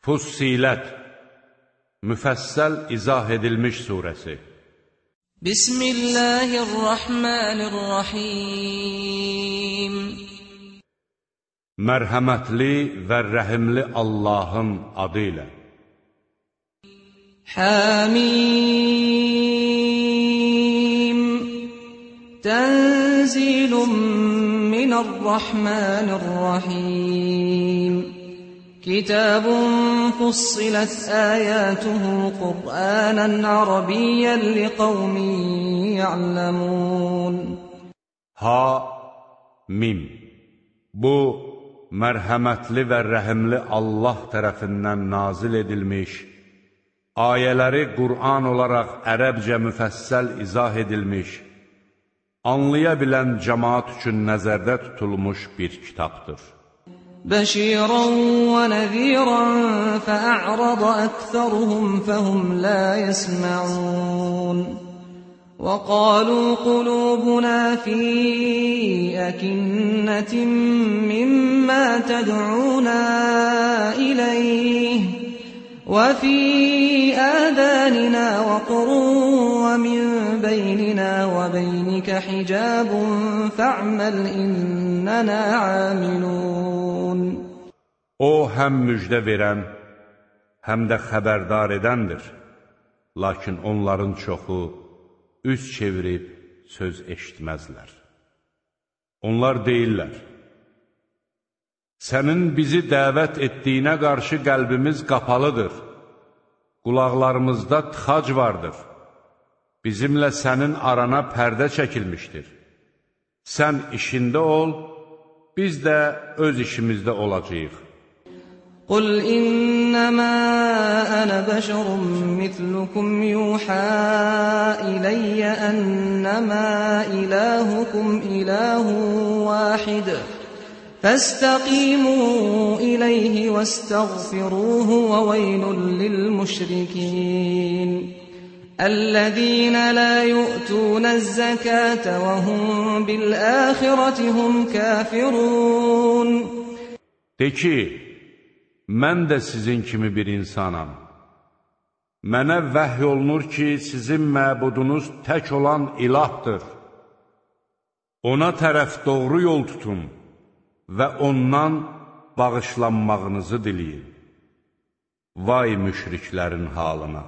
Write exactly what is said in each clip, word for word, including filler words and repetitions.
Fussilət, müfəssəl izah edilmiş surəsi. Bismillahirrahmanirrahim. Mərhəmətli və rəhimli Allahın adı ilə. Hamim. Tənzilun minərrahmanirrahim. Kitabun fussilet ayatuhu Qur'anan Arabiyyan liqavmin ya'lamun. Ha-mim. Bu, mərhəmətli və rəhimli Allah tərəfindən nazil edilmiş, ayələri Qur'an olaraq ərəbcə müfəssəl izah edilmiş, anlaya bilən cəmaat üçün nəzərdə tutulmuş bir kitabdır. بشيرا ونذيرا فأعرض أكثرهم فهم لا يسمعون وقالوا قلوبنا في أكنة مما تدعونا إليه وفي آذاننا وقر ومن بيننا وبينك حجاب فاعمل إننا عاملون. O həm müjdə verən, həm də xəbərdar edəndir. Lakin onların çoxu üz çevirib söz eşitməzlər. Onlar deyirlər, sənin bizi dəvət etdiyinə qarşı qəlbimiz qapalıdır, qulaqlarımızda tıxac vardır, bizimlə sənin arana pərdə çəkilmişdir. Sən işində ol, biz də öz işimizdə olacağıq. قل إنما أنا بشر مثلكم يوحى إلي أنما إلهكم إله واحد فاستقيموا إليه واستغفروه وويل للمشركين الذين لا يؤتون الزكاة وهم بالآخرة هم كافرون. De ki, mən də sizin kimi bir insanam. Mənə vəhy olunur ki, sizin məbudunuz tək olan ilahdır. Ona tərəf doğru yol tutun və ondan bağışlanmağınızı diləyin. Vay müşriklərin halına!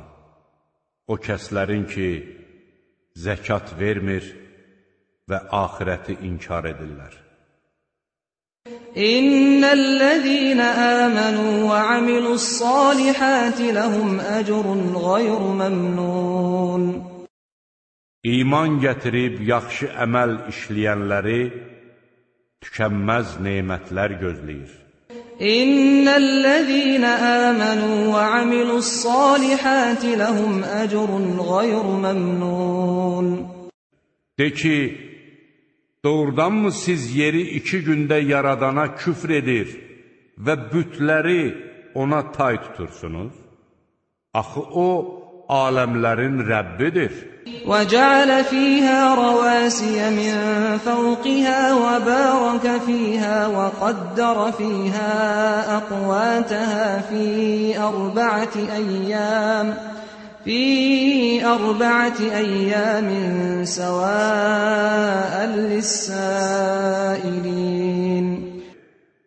O kəslərin ki, zəkat vermir və axirəti inkar edirlər. İnnellezîne âmenû ve amilussâlihâti lehum ecrun gayru memnûn. İman gətirib yaxşı əməl işləyənləri tükənməz nemətlər gözləyir. İnnellezîne âmenû ve amilussâlihâti lehum ecrun gayru memnûn. De ki, doğrudanmı siz yeri iki gündə yaradana küfr edir və bütləri ona tay tutursunuz? Axı o, aləmlərin Rəbbidir. وَجَعَلَ فِيهَا رَوَاسِيَ مِنْ فَوْقِهَا وَبَارَكَ فِيهَا وَقَدَّرَ فِيهَا أَقْوَاتَهَا فِي أَرْبَعَةِ أَيَّامٍ في أربعة أيام سواء للسائلين.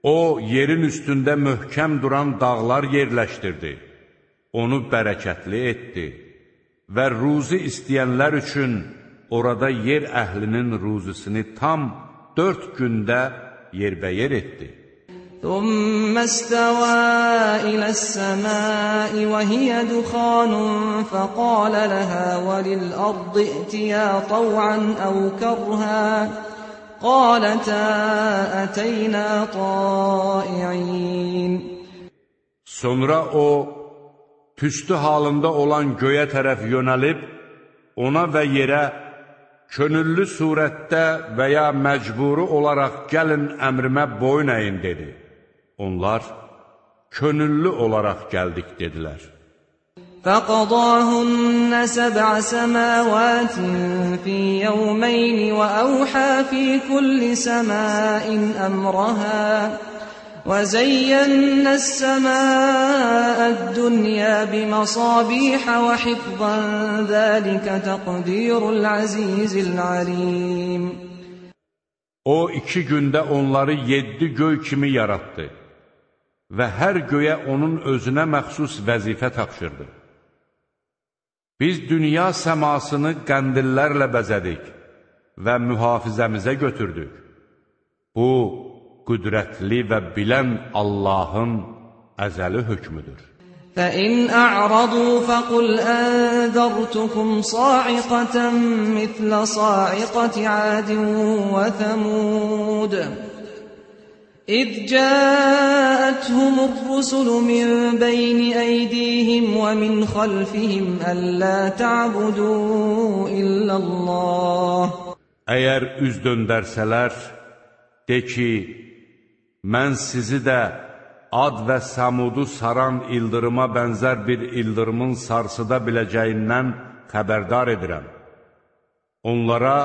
O, yerin üstündə möhkəm duran dağlar yerləşdirdi, onu bərəkətli etdi və ruzi istəyənlər üçün orada yer əhlinin ruzisini tam dörd gündə yerbəyer etdi. ثم استوى إلى السماء وهي دخان فقال لها وللأرض ائتيا طوعا أو كرها قالتا أتينا طائعين. Sonra o, tüstü halında olan göyə tərəf yönəlib, ona və yerə könüllü surətdə və ya məcburi olaraq gəlin əmrimə boyun əyin dedi. Onlar könüllü olaraq gəldik dedilər. فَقَضَاهُنَّ سَبْعَ سَمَاوَاتٍ فِي يَوْمَيْنِ وَأَوْحَى فِي كُلِّ سَمَاءٍ أَمْرَهَا وَزَيَّنَّا السَّمَاءَ الدُّنْيَا بِمَصَابِيحَ وَحِفْظًا ذَلِكَ تَقْدِيرُ الْعَزِيزِ الْعَلِيمِ O iki gündə onları yeddi göy kimi yarattı və hər göyə onun özünə məxsus vəzifə tapşırdı. Biz dünya səmasını qəndillərlə bəzədik və mühafizəmizə götürdük. Bu, qüdrətli və bilən Allahın əzəli hökmüdür. فَإِنْ أَعْرَضُوا فَقُلْ أَنذَرْتُكُمْ صَاعِقَةً مِثْلَ صَاعِقَةِ عَادٍ وَثَمُودَ إِذْ جَاءَتْهُمُ الرُّسُلُ مِنْ بَيْنِ أَيْدِيهِمْ وَمِنْ خَلْفِهِمْ أَلَّا تَعْبُدُوا إِلَّا اللَّهَ Əgər üz döndərsələr, de ki, mən sizi də Ad və Səmudu saran ildırıma bənzər bir ildırımın sarsıda biləcəyindən xəbərdar edirəm. Onlara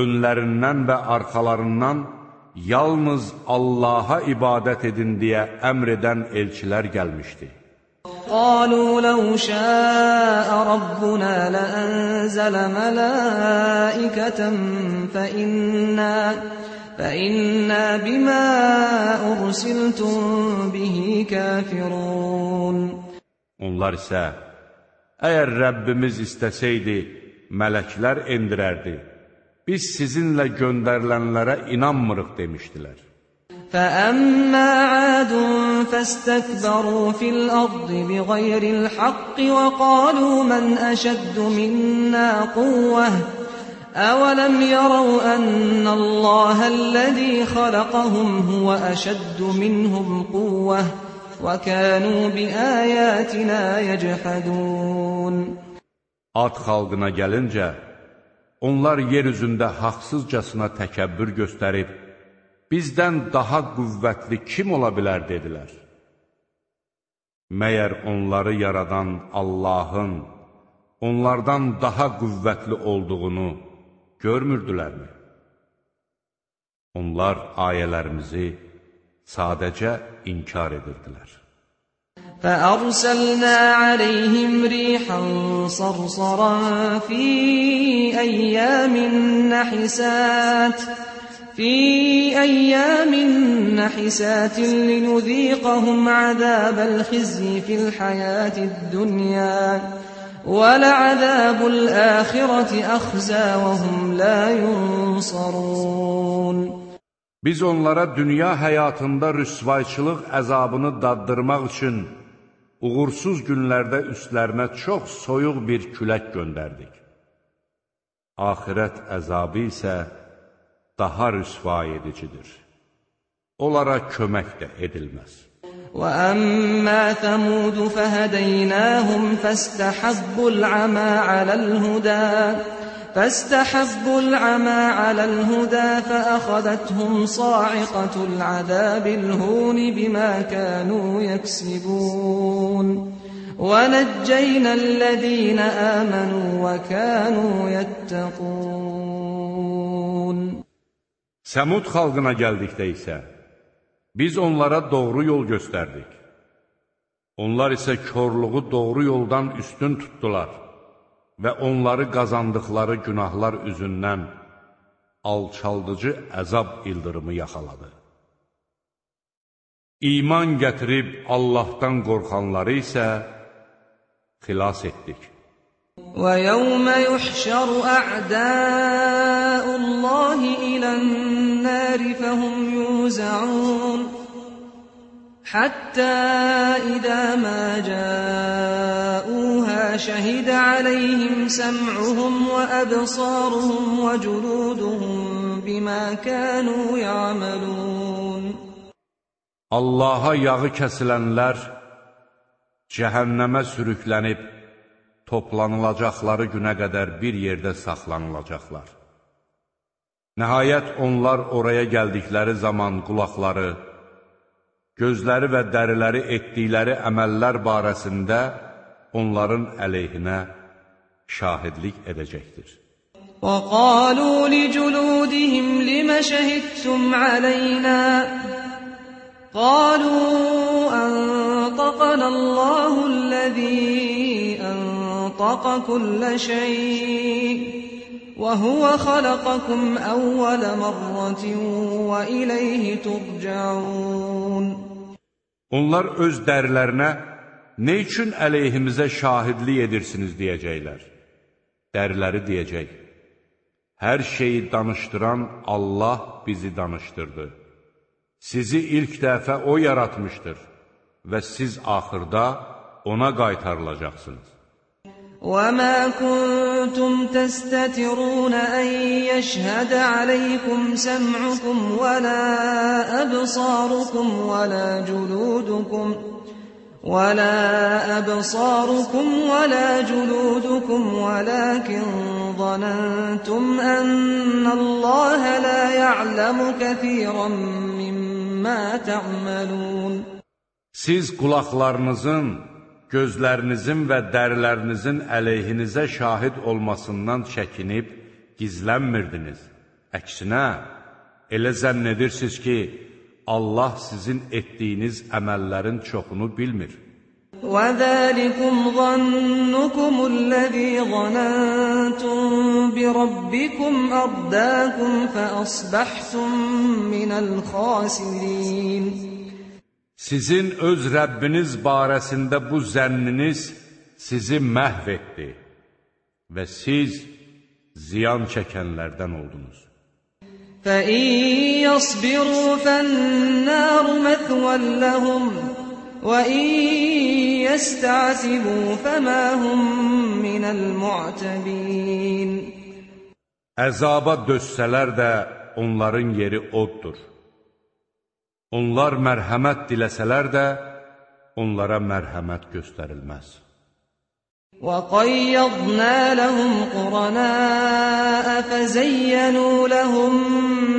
önlərindən və arxalarından yalnız Allaha ibadət edin deyə əmr edən elçilər gəlmişdi. قالوا لو شاء ربنا لأنزل ملائكة فإنا فإنا بما أرسلتم به كافرون. Onlar isə, əgər Rəbbimiz istəsəydi, mələklər endirərdi, biz sizinlə göndərilənlərə inanmırıq demişdilər. فَأَمَّا عَادٌ فَاسْتَكْبَرُوا فِي الْأَرْضِ بِغَيْرِ الْحَقِّ وَقَالُوا مَنْ أَشَدُّ مِنَّا قُوَّةً أَوَلَمْ يَرَوْا أَنَّ اللَّهَ الَّذِي خَلَقَهُمْ هُوَ أَشَدُّ مِنْهُمْ قُوَّةً وَكَانُوا بِآيَاتِنَا يَجْحَدُونَ. Ad xalqına gəlincə, onlar yer üzündə haqsızcasına təkəbbür göstərib, bizdən daha qüvvətli kim ola bilər dedilər. Məyər onları yaradan Allahın onlardan daha qüvvətli olduğunu görmürdülərmi? Onlar ayələrimizi sadəcə inkar edirdilər. فَأَرْسَلْنَا عَلَيْهِمْ رِيحًا صَرْصَرًا فِي أَيَّامٍ نَحِسَاتٍ في أيام نحسات لنذيقهم عذاب الخزي في الحياة الدنيا ولعذاب الآخرة أخزى وهم لا ينصرون. Biz onlara dünya həyatında rüsvayçılıq əzabını daddırmaq üçün uğursuz günlərdə üstlərinə çox soyuq bir külək göndərdik. Axirət əzabı isə daha rüsva edicidir. Onlara kömək də edilməz. وَأَمَّا ثَمُودُ فَهَدَيْنَاهُمْ فَاسْتَحَبُّوا الْعَمَى عَلَى الْهُدَى فَاسْتَحَبُّوا الْعَمَى عَلَى الْهُدَى فَأَخَذَتْهُمْ صَاعِقَةُ الْعَذَابِ الْهُونِ بِمَا كَانُوا يَكْسِبُونَ وَنَجَّيْنَا الَّذِينَ آمَنُوا وَكَانُوا يَتَّقُونَ. Səmud xalqına gəldikdə isə, biz onlara doğru yol göstərdik. Onlar isə körluğu doğru yoldan üstün tutdular və onları qazandıqları günahlar üzündən alçaldıcı əzab ildırımı yaxaladı. İman gətirib Allahdan qorxanları isə xilas etdik. وَيَوْمَ يُحْشَرُ أَعْدَاءُ اللَّهِ إِلَى النَّارِ فَهُمْ يُوزَعُونَ حَتَّى إِذَا مَا جَاءُوهَا شَهِدَ عَلَيْهِمْ سَمْعُهُمْ وَأَبْصَارُهُمْ وَجُلُودُهُمْ بِمَا كَانُوا يَعْمَلُونَ. Allaha yağı kəsilənlər cəhənnəmə sürüklənib toplanılacaqları günə qədər bir yerdə saxlanılacaqlar. Nəhayət onlar oraya gəldikləri zaman qulaqları, gözləri və dəriləri etdikləri əməllər barəsində onların əleyhinə şahidlik edəcəkdir. وَقَالُوا لِجُلُودِهِمْ لِمَ شَهِدتُّمْ عَلَيْنَا قالوا أنطقنا الله الذي أنطق كل شيء وهو خلقكم أول مرة وإليه ترجعون. Onlar öz dərilərinə nə üçün əleyhimizə şahidlik edirsiniz deyəcəklər. Dəriləri deyəcək: hər şeyi danışdıran Allah bizi danışdırdı. Sizi ilk dəfə O yaratmışdır və siz axırda Ona qaytarılacaqsınız. وَمَا كُنْتُمْ تَسْتَتِرُونَ أَنْ يَشْهَدَ عَلَيْكُمْ سَمْعُكُمْ وَلَا أَبْصَارُكُمْ وَلَا جُلُودُكُمْ وَلَا أَبْصَارُكُمْ وَلَا جُلُودُكُمْ وَلَكِنْ ظَنَنْتُمْ أَنَّ اللَّهَ لَا يَعْلَمُ كَثِيرًا مِّمَّا تَعْمَلُونَ. Siz qulaqlarınızın, gözlərinizin və dərilərinizin əleyhinizə şahid olmasından çəkinib gizlənmirdiniz. Əksinə, elə zənn edirsiniz ki, Allah sizin etdiyiniz əməllərin çoxunu bilmir. وَذَلِكُمْ ظَنُّكُمُ الَّذِي ظَنَنْتُمْ بِرَبِّكُمْ أَرْدَاكُمْ فَأَصْبَحْتُمْ مِنَ الْخَاسِرِينَ. Sizin öz Rəbbiniz barəsində bu zənniniz sizi məhv etdi və siz ziyan çəkənlərdən oldunuz. فَإِنْ يَصْبِرُوا فَالنَّارُ مَثْوًى لَهُمْ وَإِنْ يَسْتَعْتِبُوا فَمَا هُمْ مِنَ الْمُعْتَبِينَ. Əzaba dözsələr də onların yeri oddur. Onlar mərhəmət diləsələr də onlara mərhəmət göstərilməz. وَقَيَّضْنَا لَهُمْ قُرَنَاءَ فَزَيَّنُوا لَهُم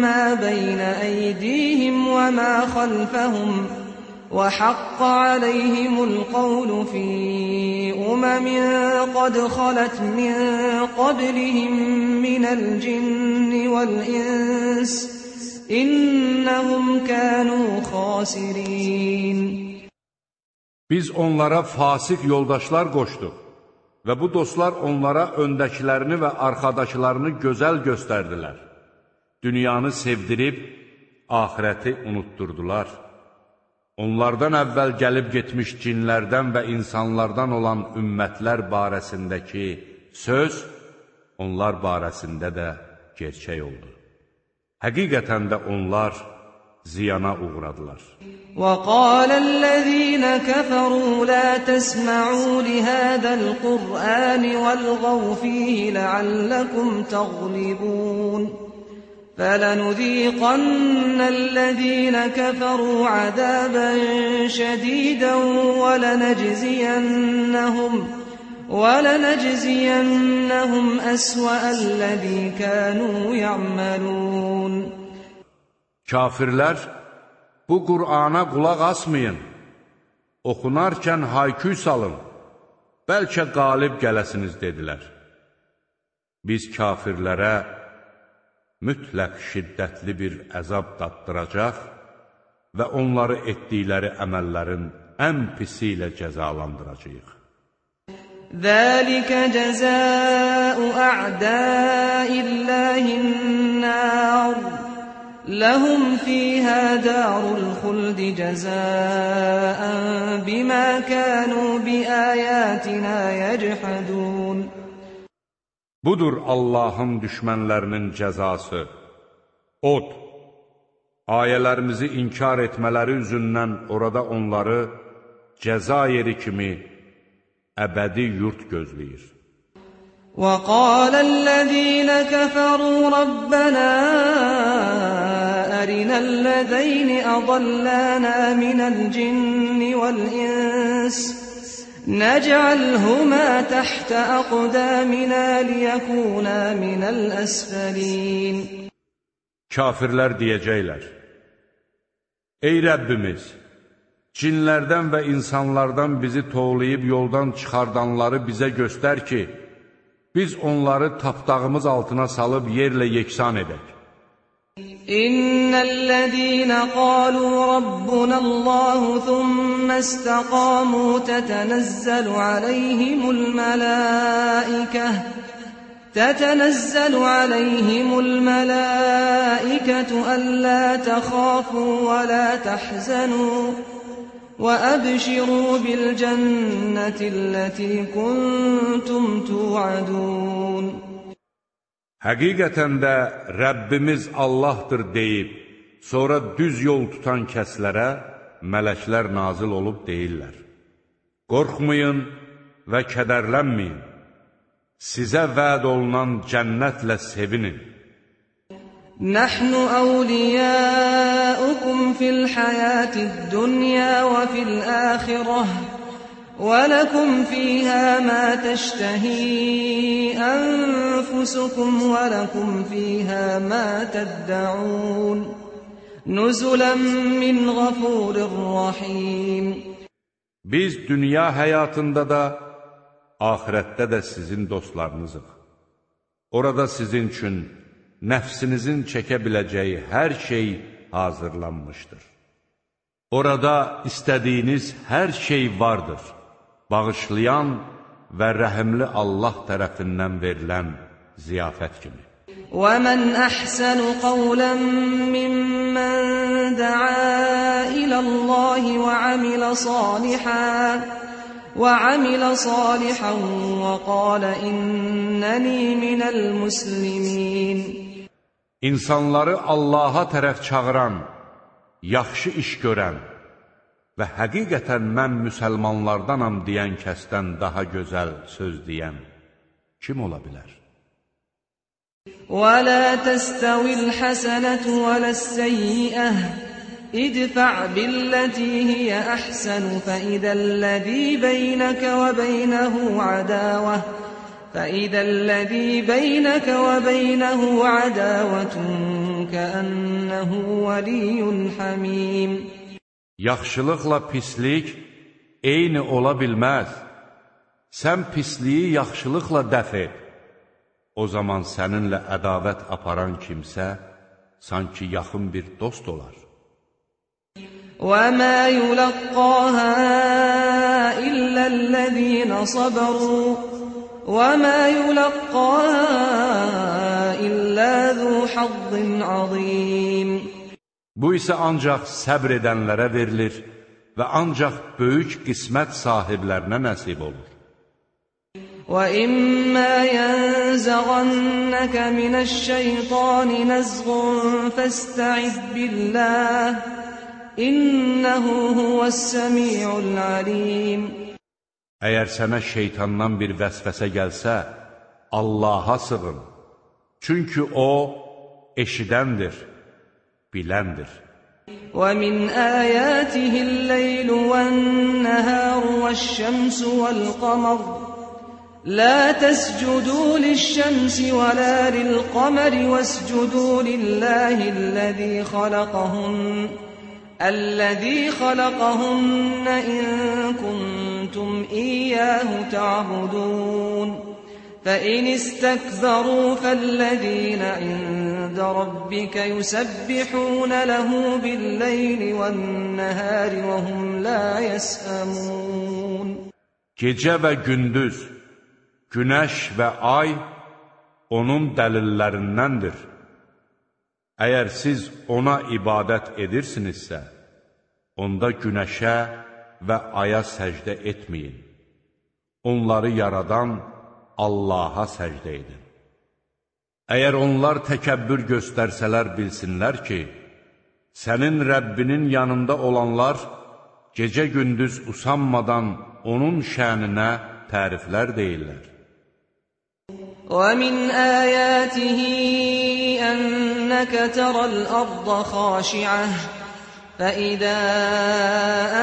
مَّا بَيْنَ أَيْدِيهِمْ وَمَا خَلْفَهُمْ وَحَقَّ عَلَيْهِمُ الْقَوْلُ فِي أُمَمٍ قَدْ خَلَتْ مِن قَبْلِهِم مِّنَ الْجِنِّ وَالْإِنسِ إِنَّهُمْ كَانُوا خَاسِرِينَ. Biz onlara fasik yoldaşlar qoşduq və bu dostlar onlara öndəkilərini və arxadakılarını gözəl göstərdilər. Dünyanı sevdirib, axirəti unutturdular. Onlardan əvvəl gəlib getmiş cinlərdən və insanlardan olan ümmətlər barəsindəki söz, onlar barəsində də gerçək oldu. Həqiqətən də onlar ziyana uğradılar. وَقَالَ الَّذِينَ كَفَرُوا لَا تَسْمَعُوا لِهَذَا الْقُرْآنِ وَالْغَوْا فِيهِ لَعَلَّكُمْ تَغْلِبُونَ فَلَنُذِيقَنَّ الَّذِينَ كَفَرُوا عَذَابًا شَدِيدًا وَلَنَجْزِيَنَّهُمْ وَلَنَجْزِيَنَّهُمْ أَسْوَأَ الَّذِي كَانُوا يَعْمَلُونَ. Kafirlər, bu Qur'ana qulaq asmayın, oxunarkən hayküy salın, bəlkə qalib gələsiniz dedilər. Biz kafirlərə mütləq şiddətli bir əzab daddıracaq və onları etdikləri əməllərin ən pisi ilə cəzalandıracağıq. ذَلِكَ جَزَاءُ أَعْدَاءِ اللَّهِ النَّارُ لَهُمْ فِيهَا دَارُ الْخُلْدِ جَزَاءً بِمَا كَانُوا بِآيَاتِنَا يَجْحَدُونَ. Budur Allahın düşmənlərinin cəzası. Od, ayələrimizi inkar etmələri üzündən orada onları cəza yeri kimi əbədi yurt gözləyir. وَقَالَ الَّذِينَ كَفَرُوا رَبَّنَا أَرِنَا الَّذَيْنِ أَضَلَّانَا مِنَ الْجِنِّ وَالْإِنسِ نَجْعَلْهُمَا تَحْتَ أَقْدَامِنَا لِيَكُونَا مِنَ الْأَسْفَلِينَ. Kafirlər deyəcəklər: Ey Rəbbimiz! Cinlərdən və insanlardan bizi toğlayıb yoldan çıxardanları bizə göstər ki, biz onları tapdağımız altına salıb yerlə yeksan edək. إن الذين قالوا ربنا الله ثم استقاموا تتنزل عليهم الملائكة تتنزل عليهم الملائكة ألا تخافوا ولا تحزنوا وأبشروا بالجنة التي كنتم توعدون. Həqiqətən də Rəbbimiz Allahdır deyib, sonra düz yol tutan kəslərə mələklər nazil olub deyirlər: Qorxmayın və kədərlənməyin, sizə vəd olunan cənnətlə sevinin. Nəhnu əvliyəukum fil həyətid dünya və fil əxirəh وَلَكُمْ فِيهَا مَا تَشْتَهِي أَنفُسُكُمْ وَلَكُمْ فِيهَا مَا تَدَّعُونَ نُزُلًا مِّنْ غَفُورٍ رَّحِيمٍ. Biz dünya həyatında da, ahirətdə də sizin dostlarınızıq. Orada sizin üçün nəfsinizin çəkə biləcəyi hər şey hazırlanmışdır. Orada istədiyiniz hər şey vardır. Bağışlayan və rəhimli Allah tərəfindən verilən ziyafət kimi. وَمَنْ أَحْسَنُ قَوْلًا مِّمَّنْ دَعَا إِلَى اللَّهِ وَعَمِلَ صَالِحًا وَعَمِلَ صَالِحًا وَقَالَ إِنَّنِي مِنَ الْمُسْلِمِينَ. İnsanları Allaha tərəf çağıran, yaxşı iş görən və həqiqətən mən müsəlmanlardanam deyən kəsdən daha gözəl söz deyən kim ola bilər? وَلَا تَسْتَوِي الْحَسَنَةُ وَلَا السَّيِّئَةُ اِدْفَعْ بِالَّتِي هِيَ أَحْسَنُ فَإِذَا الَّذِي بَيْنَكَ وَبَيْنَهُ عَدَاوَةٌ فَإِذَا الَّذِي بَيْنَكَ وَبَيْنَهُ عَدَاوَةٌ كَأَنَّهُ وَلِيٌّ حَمِيمٌ. Yaxşılıqla pislik eyni ola bilməz. Sən pisliyi yaxşılıqla dəf et. O zaman səninlə ədavət aparan kimsə sanki yaxın bir dost olar. وَمَا يُلَقَّاهَا إِلَّا الَّذِينَ صَبَرُوا وَمَا يُلَقَّاهَا إِلَّا ذُو حَظٍّ عَظِيمٍ. Bu isə ancaq səbr edənlərə verilir və ancaq böyük qismət sahiblərinə nəsib olur. وَإِمَّا يَنزَغَنَّكَ مِنَ الشَّيْطَانِ نَزْغٌ فَاسْتَعِذْ بِاللَّهِ إِنَّهُ هُوَ السَّمِيعُ الْعَلِيمُ. Əgər sənə şeytandan bir vəsvəsə gəlsə, Allaha sığın. Çünki O eşidəndir, biləndir. وَمِنْ آيَاتِهِ اللَّيْلُ وَالنَّهَارُ وَالشَّمْسُ وَالْقَمَرُ لَا تَسْجُدُوا لِلشَّمْسِ وَلَا لِلْقَمَرِ وَاسْجُدُوا لِلَّهِ الَّذِي خَلَقَهُنَّ الَّذِي خَلَقَهُنَّ إِن كُنتُمْ إِيَّاهُ تَعْبُدُونَ فَإِنِ اسْتَكْبَرُوا فَالَّذِينَ عِندَ رَبِّكَ يُسَبِّحُونَ لَهُ بِاللَّيْلِ وَالنَّهَارِ وَهُمْ لَا يَسْأَمُونَ. Gecə və gündüz, günəş və ay onun dəlillərindəndir. Əgər siz ona ibadət edirsinizsə, onda günəşə və aya səcdə etməyin. Onları yaradan Allaha səcdə edin. Əgər onlar təkəbbür göstərsələr bilsinlər ki, sənin Rəbbinin yanında olanlar gecə-gündüz usanmadan onun şəninə təriflər deyirlər. وَمِنْ آيَاتِهِ أَنَّكَ تَرَى الْأَرْضَ خَاشِعَةً فَإِذَا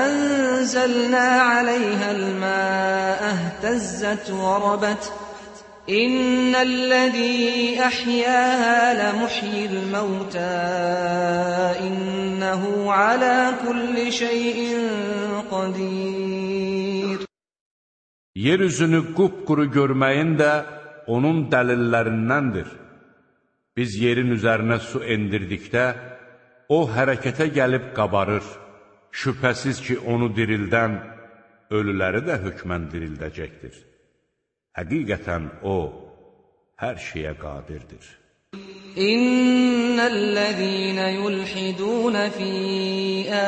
أَنزَلْنَا عَلَيْهَا الْمَاءَ اهْتَزَّتْ وَرَبَتْ إِنَّ الَّذِي أَحْيَاهَا لَمُحْيِي الْمَوْتَى إِنَّهُ عَلَى كُلِّ شَيْءٍ قَدِيرٌ. Yeryüzünü qupquru görməyin də onun dəlillərindəndir. Biz yerin üzərinə su endirdikdə, o hərəkətə gəlib qabarır. Şübhəsiz ki, onu dirildən, ölüləri də hökmən dirildəcəkdir. Həqiqətən o, hər şeyə qadirdir. İnnellezîne yulhidûne fî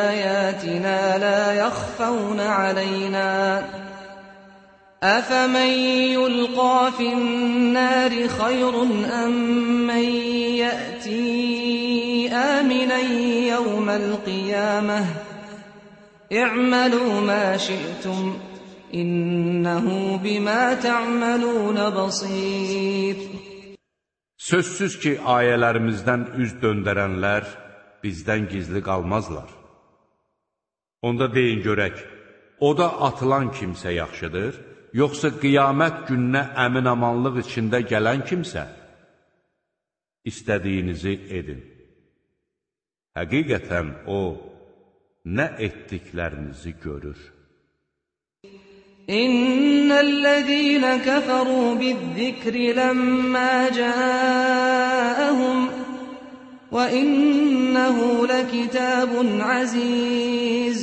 âyâtinâ lâ yakhfawne aleynâ. أَفَمَنْ يُلْقَى فِي النَّارِ خَيْرٌ أَمْ مَنْ يَأْتِي آمِنًا يَوْمَ الْقِيَامَةِ اِعْمَلُوا مَا شِئْتُمْ إِنَّهُ بِمَا تَعْمَلُونَ بَصِيرٌ. Sözsüz ki, ayələrimizdən üz döndərənlər bizdən gizli qalmazlar. Onda deyin görək, oda atılan kimsə yaxşıdır, yoxsa qiyamət gününə əmin-amanlıq içində gələn kimsə? İstədiyinizi edin. Həqiqətən o, nə etdiklərinizi görür. İnnellezîne keferû bizzikri lemmâ câehum ve innehu lekitâbun azîz.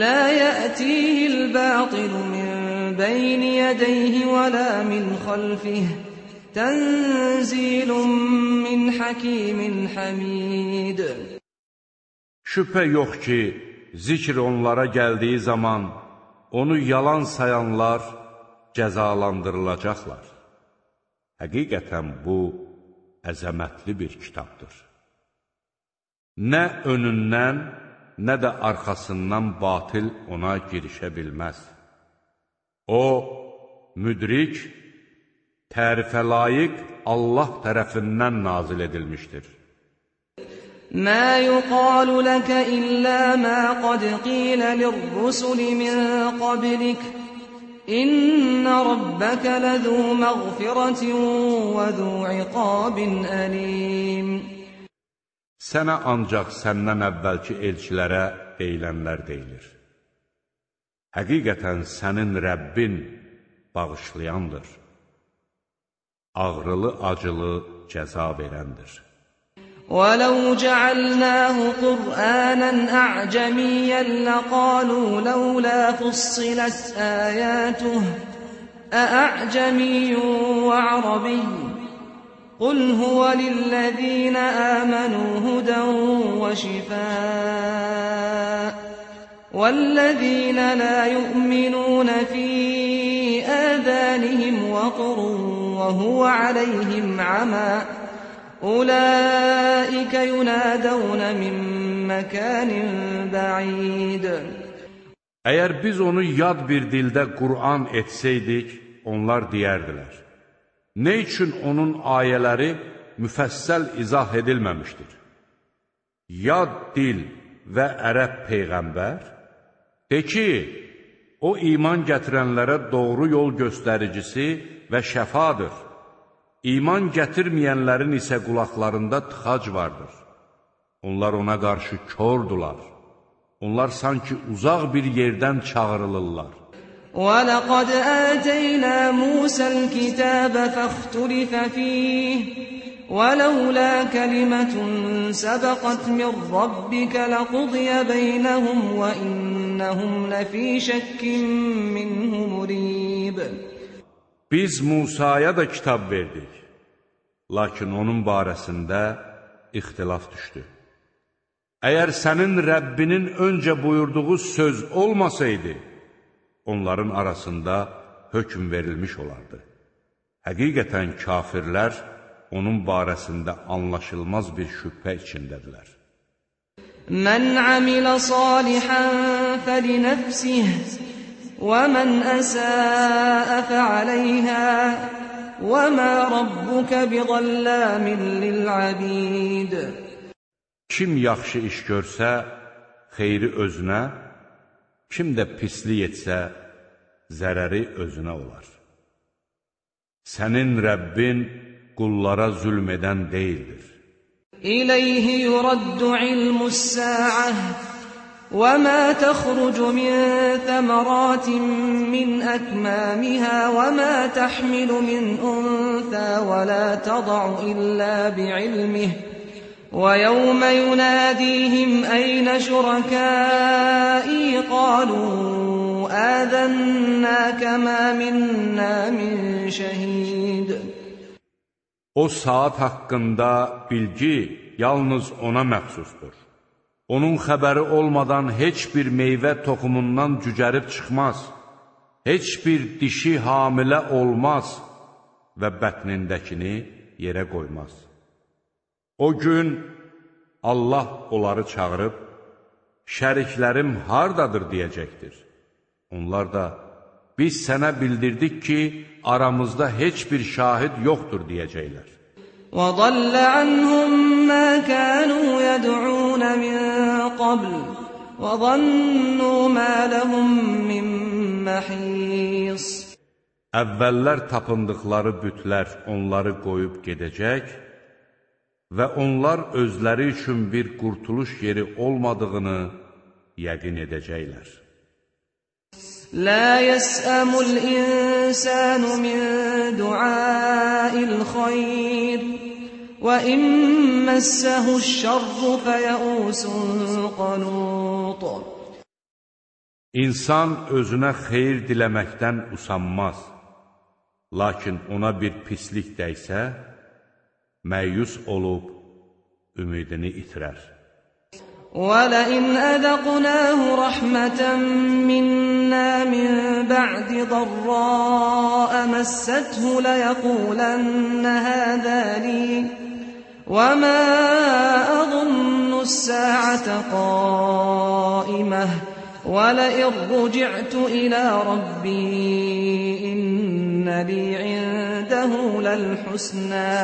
لَا يَأْتِيهِ الْبَاطِلُ مِنْ بَيْنِ يَدَيْهِ وَلَا مِنْ خَلْفِهِ تَنْزِيلٌ مِنْ حَكِيمٍ حَمِيدٍ. Şübhə yox ki, zikr onlara gəldiyi zaman onu yalan sayanlar cəzalandırılacaqlar. Həqiqətən bu əzəmətli bir kitabdır. Nə önündən, nə də arxasından batil ona girişə bilməz. O, müdrik, tərifə layiq Allah tərəfindən nazil edilmişdir. مَا يُقَالُ لَكَ إِلَّا مَا قَدْ قِيلَ لِلرُّسُلِ مِنْ قَبْلِكَ إِنَّ رَبَّكَ لَذُو مَغْفِرَةٍ وَذُو عِقَابٍ أَلِيمٍ. Sənə ancaq səndən əvvəlki elçilərə deyilənlər deyilir. Həqiqətən sənin Rəbbin bağışlayandır, ağrılı-acılı cəza verəndir. وَلَوْ جَعَلْنَاهُ قُرْآنًا أَعْجَمِيًّا لَقَالُوا لَوْلَا فُصِّلَتْ آيَاتُهُ أَأَعْجَمِيٌّ وَعَرَبِيٌّ قُلْ هُوَ لِلَّذِينَ آمَنُوا هُدًى وَشِفَاءٌ وَالَّذِينَ لَا يُؤْمِنُونَ فِي آذَانِهِمْ وَقْرٌ وَهُوَ عَلَيْهِمْ عَمًى أُولَٰئِكَ يُنَادَوْنَ مِنْ مَكَانٍ بَعِيدٍ. Əgər biz onu yad bir dildə Qur'an etsəydik, onlar deyərdilər: nə üçün onun ayələri müfəssəl izah edilməmişdir? Yad dil və ərəb peyğəmbər, de ki, o iman gətirənlərə doğru yol göstəricisi və şəfadır. İman gətirməyənlərin isə qulaqlarında tıxac vardır. Onlar ona qarşı kordular. Onlar sanki uzaq bir yerdən çağırılırlar. وَلَقَدْ آتَيْنَا مُوسَى الْكِتَابَ فَاخْتُلِفَ فِيهِ وَلَوْلَا كَلِمَةٌ سَبَقَتْ مِنْ رَبِّكَ لَقُضِيَ بَيْنَهُمْ وَإِنَّهُمْ لَفِي شَكٍّ مِّنْهُ مُرِيبٍ. Biz Musaya da kitab verdik, lakin onun barəsində ixtilaf düşdü. Əgər sənin Rəbbinin öncə buyurduğu söz olmasaydı, onların arasında hökm verilmiş olardı. Həqiqətən kafirlər onun barəsində anlaşılmaz bir şübhə içindədirlər. Mən amilə salihan fəlinəfsih və mən əsəə fəaləyhə və mə rabbukə biğallamin lil'abid. Kim yaxşı iş görsə, xeyri özünə, kim də pislik etsə, zərəri özünə olar. Sənin Rəbbin qullara zülm edən deyildir. İleyhi yuraddu ilmus sa'ah وَمَا تَخْرُجُ مِنْ ثَمَرَاتٍ مِنْ أَكْمَامِهَا وَمَا تَحْمِلُ مِنْ أُنْثَى وَلَا تَضَعُ إِلَّا بِعِلْمِهِ وَيَوْمَ يُنَادِيهِمْ أَيْنَ شُرَكَائِي قَالُوا آذَنَّاكَ مَا مِنَّا مِنْ شَهِيدٍ. O saat haqqında bilgi yalnız ona məxsusdur. Onun xəbəri olmadan heç bir meyvə toxumundan cücərib çıxmaz, heç bir dişi hamilə olmaz və bətnindəkini yerə qoymaz. O gün Allah onları çağırıb, şəriklərim hardadır deyəcəkdir. Onlar da, biz sənə bildirdik ki, aramızda heç bir şahid yoxdur deyəcəklər. وَضَلَّ عَنْهُمْ مَا كَانُوا يَدْعُونَ مِنْ قَبْلُ وَظَنُّوا مَا لَهُمْ مِنْ مَحِيصٍ. Əvvəllər tapındıqları bütlər onları qoyub gedəcək və onlar özləri üçün bir qurtuluş yeri olmadığını yəqin edəcəklər. لَا يَسْأَمُ الْإِنسَانُ مِنْ دُعَاءِ الْخَيْرِ وَإِنْ مَسَّهُ الشَّرُّ فَيَئُوسٌ قَنُوطٌ. İnsan özünə xeyir diləməkdən usanmaz. Lakin ona bir pislik dəysə, məyus olub ümidini itirər. وَلَئِنْ أَذَقْنَاهُ رَحْمَةً مِنَّا مِنْ بَعْدِ ضَرَّاءَ مَسَّتْهُ لَيَقُولَنَّ هَذَا لِي وَمَا أَظُنُّ السَّاعَةَ قَائِمَةً وَلَئِنْ رُجِعْتُ إِلَى رَبِّي إِنَّ لِي عِندَهُ لَلْحُسْنَى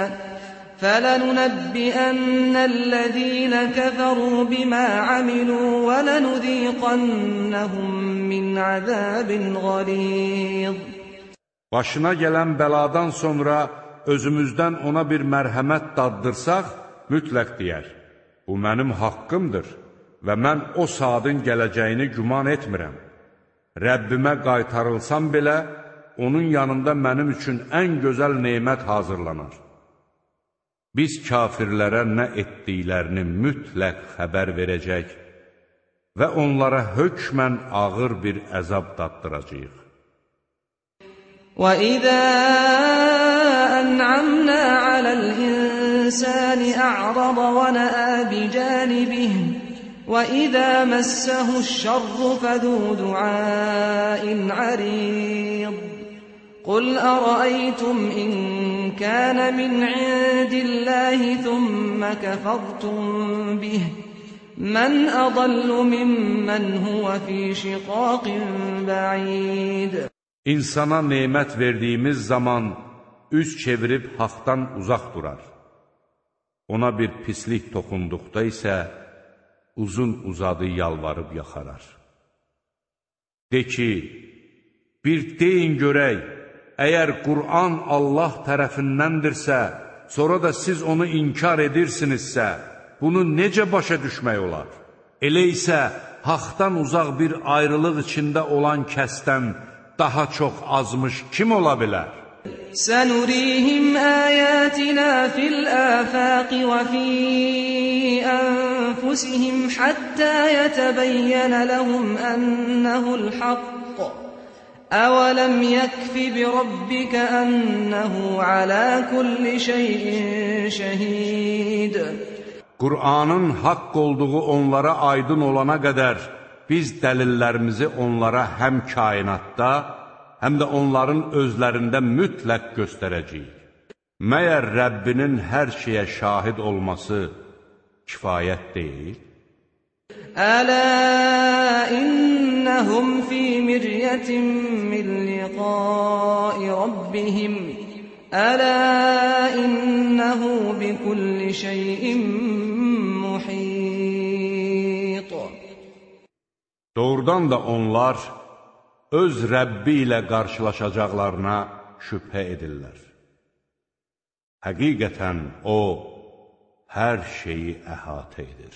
فَلَنُنَبِّئَنَّ الَّذِينَ كَفَرُوا بِمَا عَمِلُوا وَلَنُذِيقَنَّهُمْ مِنْ عَذَابٍ غَلِيظٍ. Başına gələn bəladan sonra özümüzdən ona bir mərhəmət daddırsaq, mütləq deyər, bu mənim haqqımdır və mən o saatın gələcəyini güman etmirəm. Rəbbimə qaytarılsam belə, onun yanında mənim üçün ən gözəl neymət hazırlanar. Biz kafirlərə nə etdiklərini mütləq xəbər verəcək və onlara hökmən ağır bir əzab daddıracağıq. وَإِذَا أَنْعَمْنَا عَلَى الْإِنسَانِ أَعْرَضَ وَنَأَى بِجَانِبِهِ وَإِذَا مَسَّهُ الشَّرُّ فَذُو دُعَاءٍ عَرِيضٍ. قُلْ أَرَأَيْتُمْ إِنْ كَانَ مِنْ عِنْدِ اللَّهِ ثُمَّ كَفَرْتُمْ بِهِ مَنْ أَضَلُّ مِمَّنْ هُوَ فِي شِقَاقٍ بَعِيدٍ. İnsana nemət verdiyimiz zaman üz çevirib haqdan uzaq durar. Ona bir pislik toxunduqda isə uzun uzadı yalvarıb yaxarar. De ki, bir deyin görək, əgər Qur'an Allah tərəfindəndirsə, sonra da siz onu inkar edirsinizsə, bunu necə başa düşmək olar? Elə isə haqdan uzaq bir ayrılıq içində olan kəsdən daha çox azmış kim ola bilər? سَنُرِيهِمْ آيَاتِنَا فِي الْآفَاقِ وَفِي أَنفُسِهِمْ حَتَّى يَتَبَيَّنَ لَهُمْ أَنَّهُ الْحَقُّ أَوَلَمْ يَكْفِ بِرَبِّكَ أَنَّهُ عَلَى كُلِّ شَيْءٍ شَهِيدٌ. Qur'anın haqq olduğu onlara aydın olana qədər biz dəlillərimizi onlara həm kainatda, həm də onların özlərində mütləq göstərəcəyik. Məyər Rəbbinin hər şeyə şahid olması kifayət deyil? Ələ innəhum fi miryatin min liqai rabbihim Ələ innəhu bi kulli şeyin muhit. Doğrudan da onlar öz Rəbbi ilə qarşılaşacaqlarına şübhə edirlər. Həqiqətən O, hər şeyi əhatə edir.